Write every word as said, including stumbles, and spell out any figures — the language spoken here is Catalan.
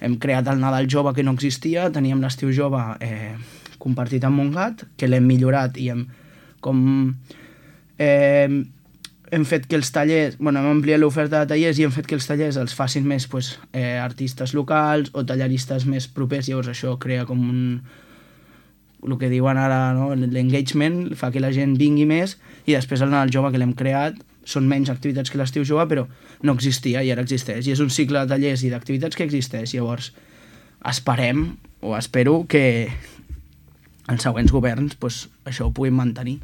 Hem creat el Nadal Jove, que no existia, teníem l'Estiu Jove eh, compartit amb Montgat, que l'hem millorat i hem com... Eh, hem fet que els tallers, bueno, hem ampliat l'oferta de tallers i hem fet que els tallers els facin més pues, eh, artistes locals o tallaristes més propers, llavors això crea com un... el que diuen ara, no? L'engagement, fa que la gent vingui més, i després el Nadal Jove, que l'hem creat, són menys activitats que l'Estiu Jove, però no existia i ara existeix, i és un cicle de tallers i d'activitats que existeix. Llavors esperem, o espero, que els següents governs pues, això ho puguin mantenir.